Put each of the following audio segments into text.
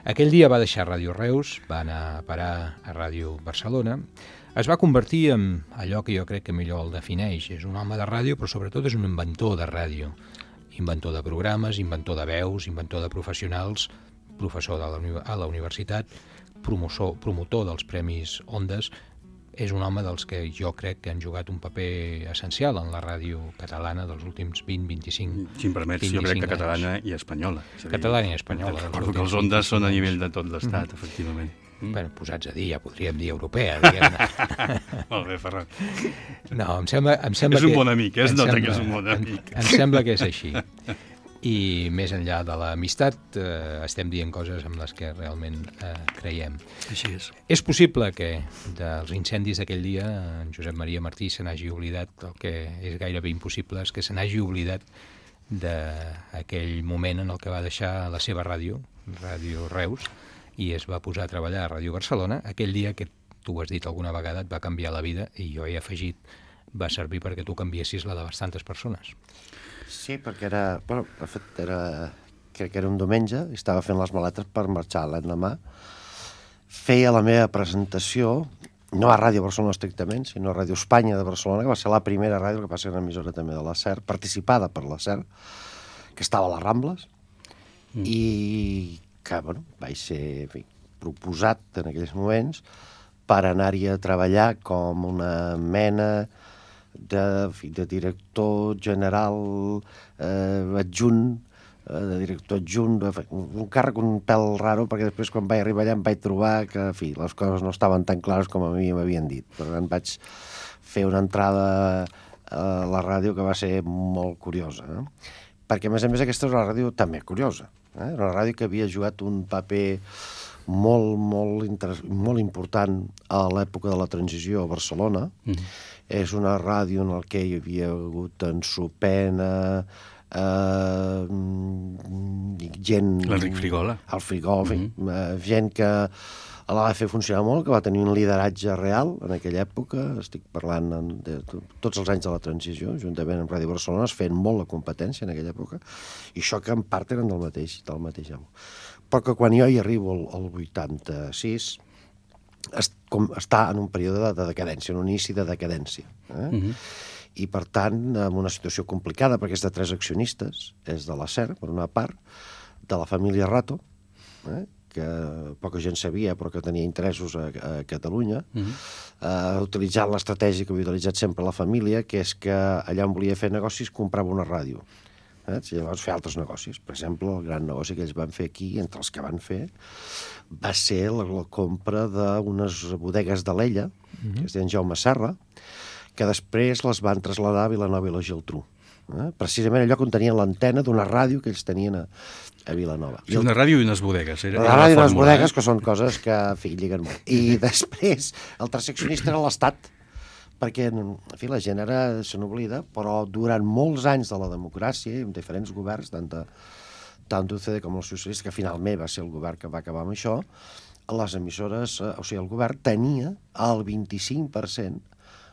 Aquell dia va deixar Ràdio Reus, va anar a parar a Ràdio Barcelona, es va convertir en allò que jo crec que millor el defineix. És un home de ràdio, però sobretot és un inventor de ràdio. Inventor de programes, inventor de veus, inventor de professionals, professor a la universitat, promotor dels Premis Ondes. És un home dels que jo crec que han jugat un paper essencial en la ràdio catalana dels últims 20-25 Si em permets, jo crec que catalana i espanyola. Catalana i espanyola. Recordo que els Ondes són a nivell de tot l'Estat, efectivament. Bueno, posats a dir, ja podríem dir europea, diguem-ne. Molt bé, Ferran. No, em sembla és un bon amic, es nota que és un bon amic. Em sembla que és així. I més enllà de l'amistat, estem dient coses amb les que realment creiem. Així és. És possible que dels incendis d'aquell dia en Josep Maria Martí se n'hagi oblidat, el que és gairebé impossible és que se n'hagi oblidat d'aquell moment en el que va deixar la seva ràdio, Ràdio Reus, i es va posar a treballar a Ràdio Barcelona. Aquell dia, que tu ho has dit alguna vegada, et va canviar la vida, i jo he afegit, va servir perquè tu canviessis la de bastantes persones. Sí, perquè era... Bueno, de fet, crec que era un diumenge, i estava fent les maletes per marxar l'endemà. Feia la meva presentació, no a Ràdio Barcelona estrictament, sinó a Ràdio Espanya de Barcelona, que va ser la primera ràdio, que va ser una emissora també de la SER, participada per la SER, que estava a les Rambles, i que, bueno, vaig ser, en fi, proposat en aquells moments per anar-hi a treballar com una mena de director general adjunt, de director adjunt, un càrrec un pèl raro, perquè després quan vaig arribar allà em vaig trobar que, en fi, les coses no estaven tan clares com a mi m'havien dit. Per tant, vaig fer una entrada a la ràdio que va ser molt curiosa, no? Perquè, a més, aquesta és una ràdio també curiosa. Era una ràdio que havia jugat un paper molt important a l'època de la transició a Barcelona. És una ràdio en què hi havia hagut en Sopena, gent... L'Enric Frigola. El Frigola, gent que la va fer funcionar molt, que va tenir un lideratge real en aquella època. Estic parlant de tots els anys de la transició, juntament amb Ràdio Barcelona, es feien molt la competència en aquella època, i això que en part eren del mateix any. Però que quan jo hi arribo al 86... està en un període de decadència, un inici de decadència. I, per tant, en una situació complicada, perquè és de 3 accionistes, és de la SER, per una part, de la família Rato, que poca gent sabia, però que tenia interessos a Catalunya, utilitzant l'estratègia que havia utilitzat sempre la família, que és que allà on volia fer negocis comprava una ràdio. Llavors fer altres negocis. Per exemple, el gran negoci que ells van fer aquí, entre els que van fer, va ser la compra d'unes bodegues de l'Ella, que es deien Jaume Serra, que després les van traslladar a Vilanova i la Geltrú. Precisament allò on tenien l'antena d'una ràdio que ells tenien a Vilanova. Sí, una ràdio i unes bodegues. Una ràdio i unes bodegues, que són coses que, en fi, lliguen molt. I després, el tercer accionista era l'Estat, perquè, en fi, la gent ara se n'oblida, però durant molts anys de la democràcia, amb diferents governs, tant d'UCD com el socialista, que finalment va ser el govern que va acabar amb això, les emissores, o sigui, el govern tenia el 25%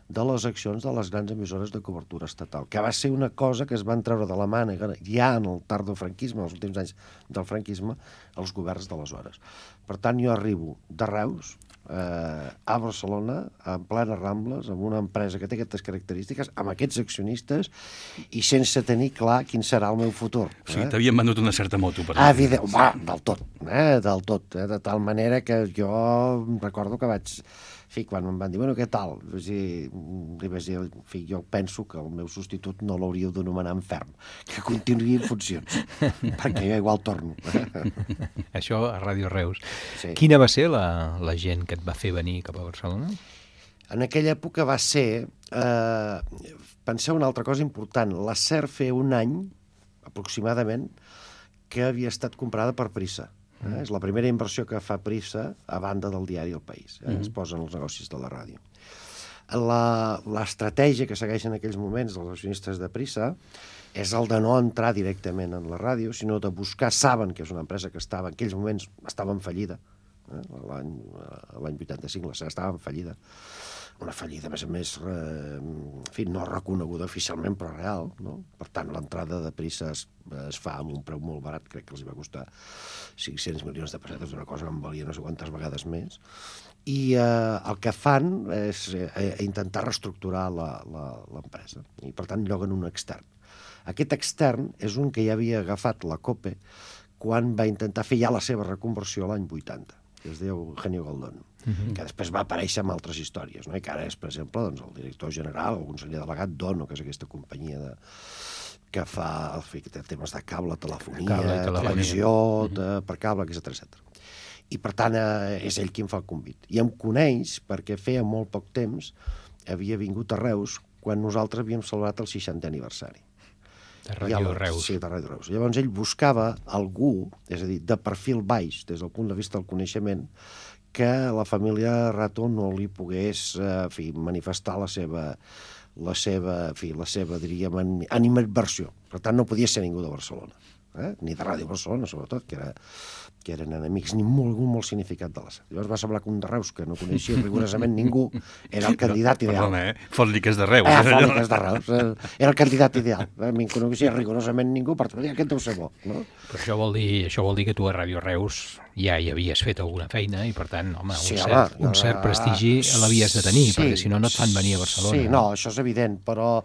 de les accions de les grans emissores de cobertura estatal, que va ser una cosa que es van treure de la màniga ja en el tardofranquisme, els últims anys del franquisme, els governs d'aleshores. Per tant, jo arribo de Reus a Barcelona, en plena Rambles, amb una empresa que té aquestes característiques, amb aquests accionistes, i sense tenir clar quin serà el meu futur. O sigui, t'havien venut una certa moto, per exemple. Del tot. De tal manera que jo recordo que vaig... quan em van dir, bueno, què tal? Li vaig dir, jo penso que el meu substitut no l'hauríeu d'anomenar enferm, que continuï en funcions, perquè jo igual torno. Això a Ràdio Reus. Sí. Quina va ser la gent que et va fer venir cap a Barcelona? En aquella època va ser... penseu una altra cosa important. La SER feia un any, aproximadament, que havia estat comprada per Prisa. És la primera inversió que fa Prisa a banda del diari El País. Es posen els negocis de la ràdio. L'estratègia que segueixen en aquells moments dels accionistes de Prisa és el de no entrar directament en la ràdio, sinó de buscar... Saben que és una empresa que estava en aquells moments estava en fallida, L'any 85 la SER estava en fallida. Una fallida, a més, en fi, no reconeguda oficialment, però real, no? Per tant, l'entrada de Prisa es fa amb un preu molt barat, crec que els va costar 500 milions de pessetes, una cosa que em valia no sé quantes vegades més. I el que fan és intentar reestructurar l'empresa. I, per tant, lloguen un extern. Aquest extern és un que ja havia agafat la COPE quan va intentar fer ja la seva reconversió l'any 80, que es diu Eugenio Goldón, que després va aparèixer en altres històries, no? I que ara és, per exemple, doncs, el director general, el conseller delegat d'Ono, que és aquesta companyia que fa temes de cable, telefonia, televisió, per cable, etc. I, per tant, és ell qui em fa el convit. I em coneix perquè feia molt poc temps havia vingut a Reus quan nosaltres havíem celebrat el 60è aniversari. De Ràdio Reus. Sí, de Ràdio Reus. Llavors ell buscava algú, és a dir, de perfil baix, des del punt de vista del coneixement, que la família Rato no li pogués manifestar la seva diríem, animadversió. Per tant, no podia ser ningú de Barcelona, ni de Ràdio Barcelona, sobretot, que eren enemics, ni molt significat de la SER. Llavors va semblar que un de Reus, que no coneixia rigorosament ningú, era el candidat ideal. Perdona, fot-li que és de Reus. Fot-li que és de Reus. Era el candidat ideal. A mi no coneixia rigorosament ningú, per tant, aquest deu ser bo. No? Però això vol dir que tu a Ràdio Reus ja hi havies fet alguna feina i, per tant, home, sí, un cert prestigi l'havies de tenir, perquè si no, no et fan venir a Barcelona. Sí, no, això és evident, però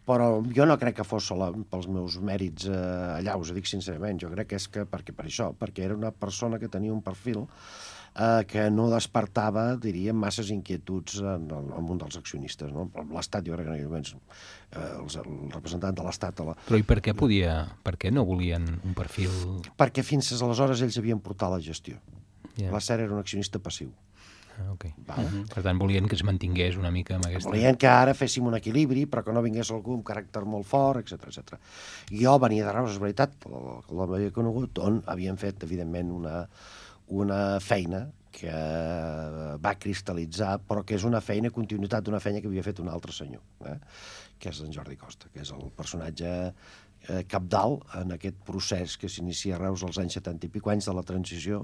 jo no crec que fos pels meus mèrits allà, us ho dic sincerament. Jo crec que és perquè era una persona que tenia un perfil que no despertava, diríem, masses inquietuds en el món dels accionistes. No? L'Estat, jo crec que en aquells moments, el representant de l'Estat... Però i per què no volien un perfil... Perquè fins aleshores ells havien portat la gestió. La SER era un accionista passiu. Okay. Per tant, volien que es mantingués una mica amb aquesta... Volien que ara féssim un equilibri, però que no vingués algú amb caràcter molt fort, etc. Jo venia de Reus, és veritat, l'home havia conegut, on havien fet, evidentment, una feina que va cristal·litzar, però que és una feina, continuïtat d'una feina que havia fet un altre senyor, que és en Jordi Costa, que és el personatge cabdal en aquest procés que s'inicia a Reus als anys 70 i pico, anys de la transició,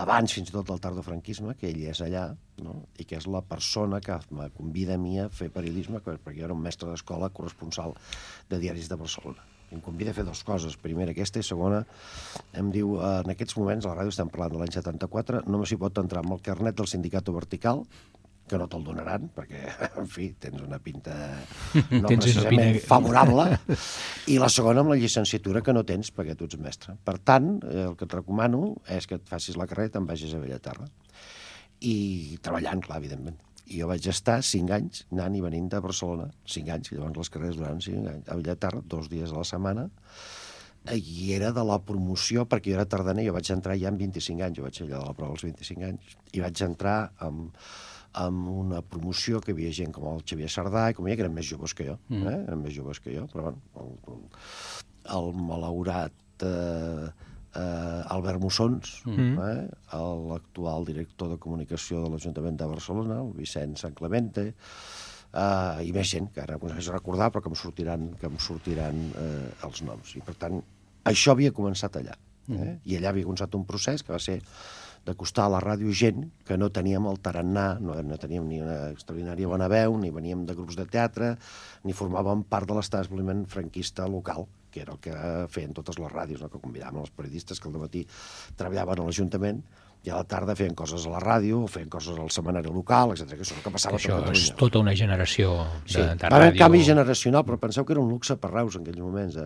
abans fins i tot del tardofranquisme, que ell és allà, no? I que és la persona que me convida a mi a fer periodisme, perquè jo era un mestre d'escola corresponsal de diaris de Barcelona. Em convida a fer dues coses. Primera aquesta i segona, em diu, en aquests moments, a la ràdio estem parlant de l'any 74, només s'hi pot entrar amb el carnet del Sindicato Vertical, que no te'l donaran, perquè, en fi, tens una pinta no precisament favorable, i la segona amb la llicenciatura que no tens, perquè tu ets mestre. Per tant, el que et recomano és que et facis la carrera i te'n vagis a Bellaterra. I treballant, clar, evidentment. I jo vaig estar 5 anys anant i venint de Barcelona, 5 anys, llavors les carreres duraven 5 anys, a Bellaterra, 2 dies a la setmana, i era de la promoció, perquè jo era tardaner, jo vaig entrar ja amb 25 anys, jo vaig allà de la prova als 25 anys, i vaig entrar amb una promoció que hi havia gent com el Xavier Sardà i com ella, que eren més joves que jo, eren més joves que jo, però bueno, el malaurat Albert Mussons, l'actual director de comunicació de l'Ajuntament de Barcelona, el Vicent Sant Clemente, i més gent, que ara no sé recordar, però que em sortiran els noms. I per tant, això havia començat allà. I allà havia començat un procés que va ser d'acostar a la ràdio gent que no teníem el tarannà, no teníem ni una extraordinària bona veu, ni veníem de grups de teatre, ni formàvem part de l'establiment franquista local, que era el que feien totes les ràdios, no? Que convidaven els periodistes que al dematí treballaven a l'Ajuntament i a la tarda feien coses a la ràdio, o feien coses al setmanari local, etc. Que això és el que passava a Catalunya. Això és tota una generació de ràdio. Va haver un canvi generacional, però penseu que era un luxe per Reus en aquells moments.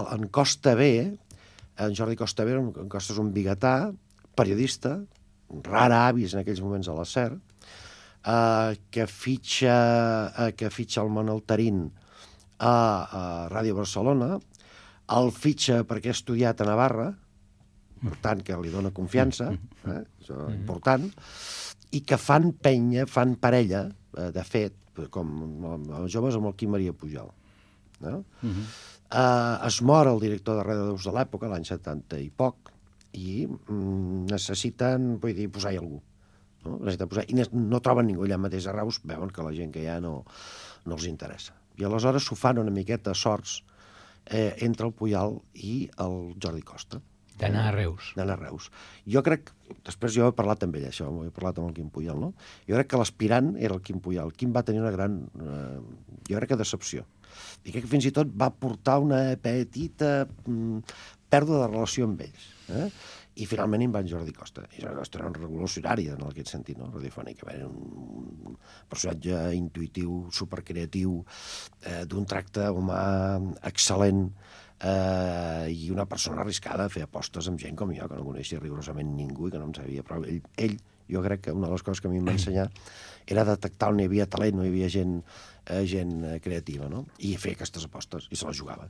En Costa B, en Jordi Costa B, en Costa és un biguetà, periodista, rara avis en aquells moments a la SER, que fitxa el Manel Tarín a Ràdio Barcelona, el fitxa perquè ha estudiat a Navarra, per tant, que li dona confiança, això és important, i que fan penya, fan parella, de fet, com els joves amb el Quim Maria Pujol. Es mor el director de Ràdio de l'època, l'any 70 i poc, i necessiten, vull dir, posar-hi algú. I no troben ningú allà mateix a Reus, veuen que la gent que hi ha no els interessa. I aleshores s'ho fan una miqueta sorts entre el Pujol i el Jordi Costa. D'anar a Reus. D'anar a Reus. Jo crec, després jo he parlat amb ell, això, he parlat amb el Quim Puyol, no? Jo crec que l'aspirant era el Quim Puyol. El Quim va tenir una gran, jo crec que decepció. I crec que fins i tot va portar una petita pèrdua de relació amb ells. I finalment hi va en Jordi Costa. I Jordi Costa era un revolucionari en aquest sentit, no? Radiofònic. Era un personatge intuïtiu, supercreatiu, d'un tracte humà excel·lent, i una persona arriscada a fer apostes amb gent com jo, que no coneixia rigorosament ningú i que no en sabia prou. Ell, jo crec que una de les coses que a mi em va ensenyar era detectar on hi havia talent, on hi havia gent creativa, no? I fer aquestes apostes, i se les jugava.